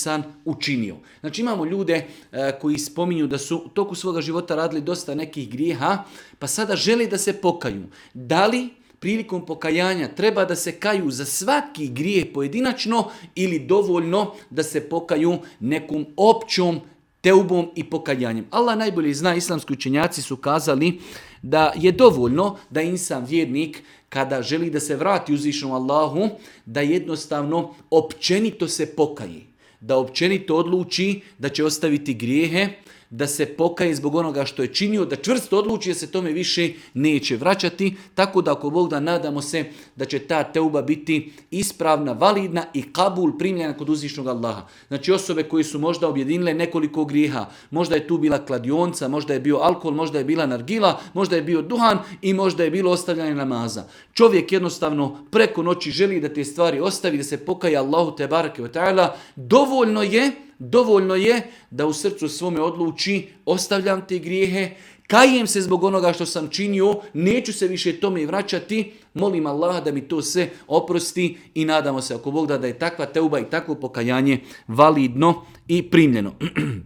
insan učinio. Znači imamo ljude koji spominju da su u toku svoga života radili dosta nekih grijeha, pa sada žele da se pokaju. Da li prilikom pokajanja treba da se kaju za svaki grijeh pojedinačno ili dovoljno da se pokaju nekom općom teubom i pokajanjem? Allah najbolje zna, islamski učenjaci su kazali da je dovoljno da insan vjernik kada želi da se vrati uzvišenom Allahu, da jednostavno općenito se pokaje. Da općenito odluči da će ostaviti grijehe, da se pokaje zbog onoga što je činio, da čvrsto odluči da se tome više neće vraćati. Tako da ako Bog da, nadamo se da će ta teuba biti ispravna, validna i kabul primljena kod uzvišnog Allaha. Znači osobe koje su možda objedinile nekoliko grijeha, možda je tu bila kladionica, možda je bio alkohol, možda je bila nargila, možda je bio duhan i možda je bilo ostavljanje namaza. Čovjek jednostavno preko noći želi da te stvari ostavi, da se pokaje Allahu te bareke ve taala, dovoljno je da u srcu svome odluči ostavljam te grijehe, kajem se zbog onoga što sam činio, neću se više tome vraćati, molim Allaha da mi to sve oprosti i nadamo se ako Bog da je takva teuba i takvo pokajanje validno i primljeno.